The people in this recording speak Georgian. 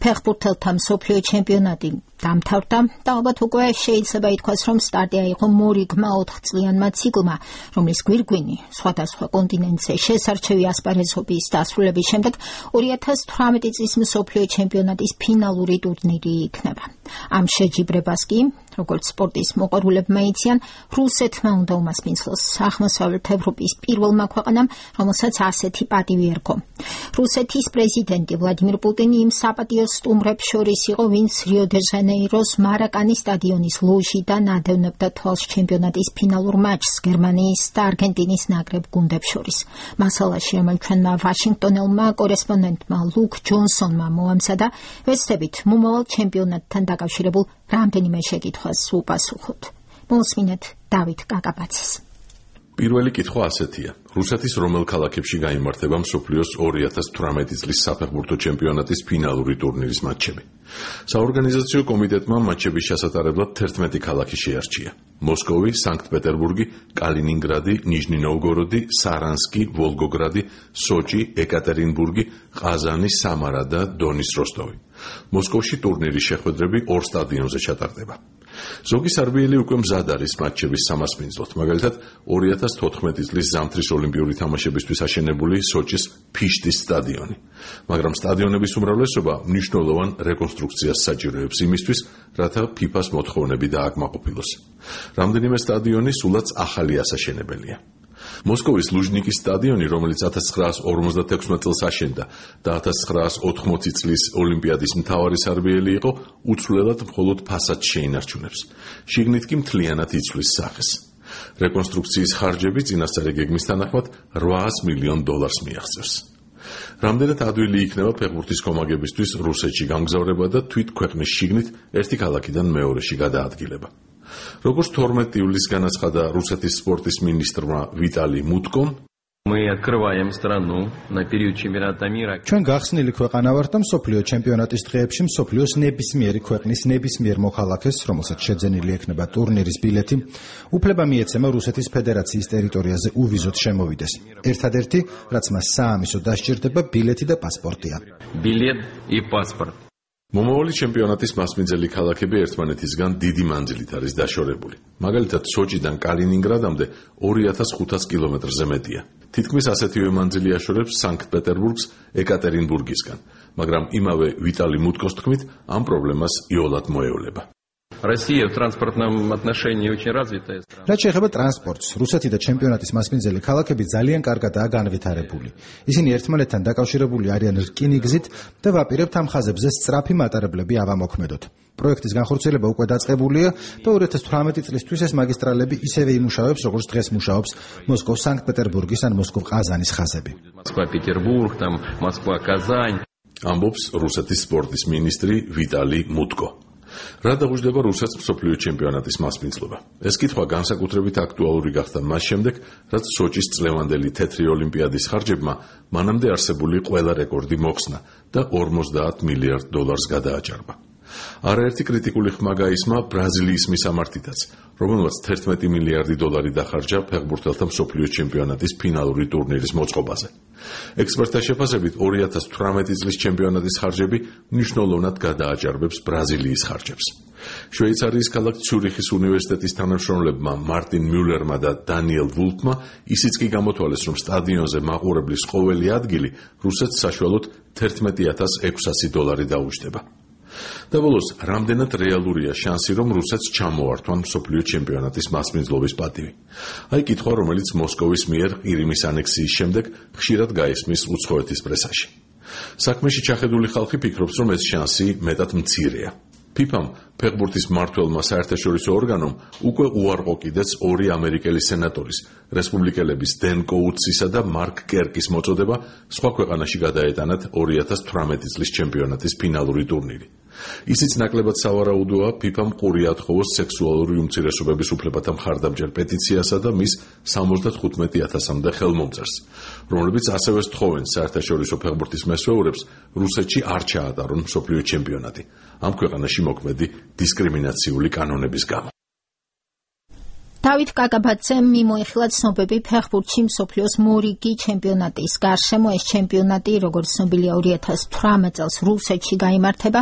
ფეხბურთელთა მსოფლიო ჩემპიონატი დამთავრდა და ალბათ უკვე შეიძლება ითქვას, რომ სტარტი აიღო მორიგმა 4 წლიანმა ციკლმა, რომლის გვირგვინი სხვადასხვა კონტინენტზე შესარჩევი ასპარეზობის დასრულების შემდეგ 2018 წლის მსოფლიო ჩემპიონატის ფინალური ტურნირი იქნება. ამ შეჯიბრებას კი, როგორც სპორტის მოყვარულებმა იციან, რუსეთმა უნდა უმასპინძლოს აღმოსავლეთ ევროპის პირველმა ქვეყანამ, რომელსაც ასეთი პატივი ერგო. რუსეთის პრეზიდენტი ვლადიმირ პუტინი იმ საპატიო სტუმრებს შორის იყო, ვინც რიო-დე-ჟანეიროს მარაკანის სტადიონის ლოჟიდან ადევნებდა თვალს ჩემპიონატის ფინალურ მატჩს გერმანიის და არგენტინის ნაკრებ გუნდებს შორის. მასალაში, რომელიც ჩვენმა ვაშინგტონელმა კორესპონდენტმა ლუკ ჯონსონმა მოამზადა, ვეცდებით მომავალ ჩემპიონატთან დაკავშირებულ რამდენიმე შეკითხვას უპასუხოთ. მოსმინეთ დავით კაკაბაძის. პირველი კითხვა ასეთია: რუსეთის რომელ ქალაქებში გაიმართება მსოფლიოს 2018 წლის საფეხბურთო ჩემპიონატის ფინალური ტურნირის მატჩები? საორგანიზაციო კომიტეტმა მატჩების ჩასატარებლად 11 ქალაქი შეარჩია: მოსკოვი, სანქტ-პეტერბურგი, კალინინგრადი, ნიჟნი-ნოვგოროდი, სარანსკი, ვოლგოგრადი, სოჭი, ეკატერინბურგი, ყაზანი, სამარა და დონის როსტოვი. მოსკოვში ტურნირის შეხვედრები 2 სტადიონზე ჩატარდება. ზოგი სარბიელი უკვე მზად არის მატჩების სამასპინძლოდ, მაგალითად 2014 წლის ზამთრის ოლიმპიური თამაშებისთვის აშენებული სოჭის ფიშტის სტადიონი. მაგრამ სტადიონების უმრავლესობა მნიშვნელოვან რეკონსტრუქციას საჭიროებს იმისთვის, რათა FIFA-ს მოთხოვნები დააკმაყოფილოს. რამდენიმე სტადიონი სულაც ახალი ასაშენებელია. მოსკოვის ლუჟნიკის სტადიონი, რომელიც 1956 წელს აშენდა და 1980 წლის ოლიმპიადის მთავარი სარბიელი იყო, უცვლელად მხოლოდ ფასადს შეინარჩუნებს. შიგნით კი მთლიანად იცვლის სახეს. რეკონსტრუქციის ხარჯები წინასწარი გეგმის თანახმად $800 მილიონ მიაღწევს. რამდენად ადვილი იქნება ფეხბურთის კომაგებისთვის რუსეთში გამგზავრება და თვით ქვეყნის შიგნით ერთი ქალაქიდან მეორეში გადაადგილება. როგორც 12 ივლისს განაცხადა რუსეთის სპორტის მინისტრმა ვიტალი მუტკომ, ჩვენ გახსნილი ქვეყანა ვართ და მსოფლიო ჩემპიონატის დღეებში მსოფლიოს ნებისმიერი ქვეყნის ნებისმიერ მოქალაქეს, რომელსაც შეძენილი ექნება ტურნირის ბილეთი, უფლება მიეცემა რუსეთის ფედერაციის ტერიტორიაზე უვიზოდ შემოვიდეს. ერთადერთი, რაც მას საამისოდ დასჭირდება, ბილეთი და პასპორტია. მომავალი ჩემპიონატის მასპინძელი ქალაქები ერთმანეთისგან დიდი მანძილით არის დაშორებული. მაგალითად, სოჭიდან კალინინგრადამდე 2500 კილომეტრზე მეტია. თითქმის ასეთივე მანძილი აშორებს სანქტ-პეტერბურგს ეკატერინბურგისგან, მაგრამ იმავე ვიტალი მუტკოს თქმით, ამ პრობლემას იოლად მოევლება. რაც შეეხება ტრანსპორტს, რუსეთი და ჩემპიონატის მასპინძელი ქალაქები ძალიან კარგადაა განვითარებული. ისინი ერთმანეთთან დაკავშირებული არიან რკინიგზით და ვაპირებთ ამ ხაზებზე სწრაფი მატარებლები ავამოქმედოთ. პროექტის განხორციელება უკვე დაწყებულია და 2018 წლისთვის ეს მაგისტრალები ისევე იმუშავებს, როგორც დღეს მუშაობს მოსკოვ სანქტ-პეტერბურგის ან მოსკოვ ყაზანის ხაზები. ამბობს რუსეთის სპორტის მინისტრი ვიტალი მუტკო. რა დაგუჯდება რუსეთს მსოფლიო ჩემპიონატის მასპინძლობა? ეს კითხვა განსაკუთრებით აქტუალური გახდა მას შემდეგ, რაც სოჭის წლევანდელი თეთრი ოლიმპიადის ხარჯებმა მანამდე არსებული ყველა რეკორდი მოხსნა და $50 მილიარდ გადააჭარბა. არაერთი კრიტიკული ხმა გაისმა ბრაზილიის მისამართითაც, რომელმაც $11 მილიარდი დახარჯა ფეხბურთელთა მსოფლიო ჩემპიონატის ფინალური ტურნირის მოწყობაზე. ექსპერტთა შეფასებით 2018 წლის ჩემპიონატის ხარჯები მნიშვნელოვნად გადააჭარბებს ბრაზილიის ხარჯებს. შვეიცარიის ქალაქ ციურიხის უნივერსიტეტის თანამშრომლებმა მარტინ მიულერმა და დანიელ ვულფმა ისიც კი გამოთვალეს, რომ სტადიონზე მაყურებლის ყოველი ადგილი რუსეთს საშუალოდ $11,600 დაუჯდება. და ბოლოს, რამდენად რეალურია შანსი, რომ რუსეთს ჩამოართვან მსოფლიო ჩემპიონატის მასპინძლობის პატივი? აი კითხვა, რომელიც მოსკოვის მიერ ყირიმის ანექსიის შემდეგ ხშირად გაისმის უცხოეთის პრესაში. საქმეში ჩახედული ხალხი ფიქრობს, რომ ეს შანსი მეტად მცირეა. FIFA-მ, ფეხბურთის მმართველმა საერთაშორისო ორგანომ, უკვე უარყოფიდეს 2 ამერიკელი სენატორის, რესპუბლიკელების დენ კოუთსისა და მარკ კერკის მოწოდება სხვა ქვეყანაში გადაეტანათ 2018 წლის ჩემპიონატის ფინალური ტურნირი. ისიც ნაკლებად სავარაუდოა FIFA-მ ყური ათხოვოს სექსუალური უმცირესობების უფლებათა მხარდამჭერ პეტიციასა და მის 75,000-მდე ხელმომწერს, რომლებიც ასევე სთხოვენ საერთაშორისო ფეხბურთის მესვეურებს რუსეთში არ ჩაატარონ მსოფლიო ჩემპიონატი, ამ ქვეყანაში მოქმედი დისკრიმინაციული კანონების გამო. დავით კაკაბაძემ მიმოიხილა ცნობები ფეხბურთში მსოფლიოს მორიგი ჩემპიონატის გარშემო. ეს ჩემპიონატი, როგორც ცნობილია, 2018 წელს რუსეთში გაიმართება.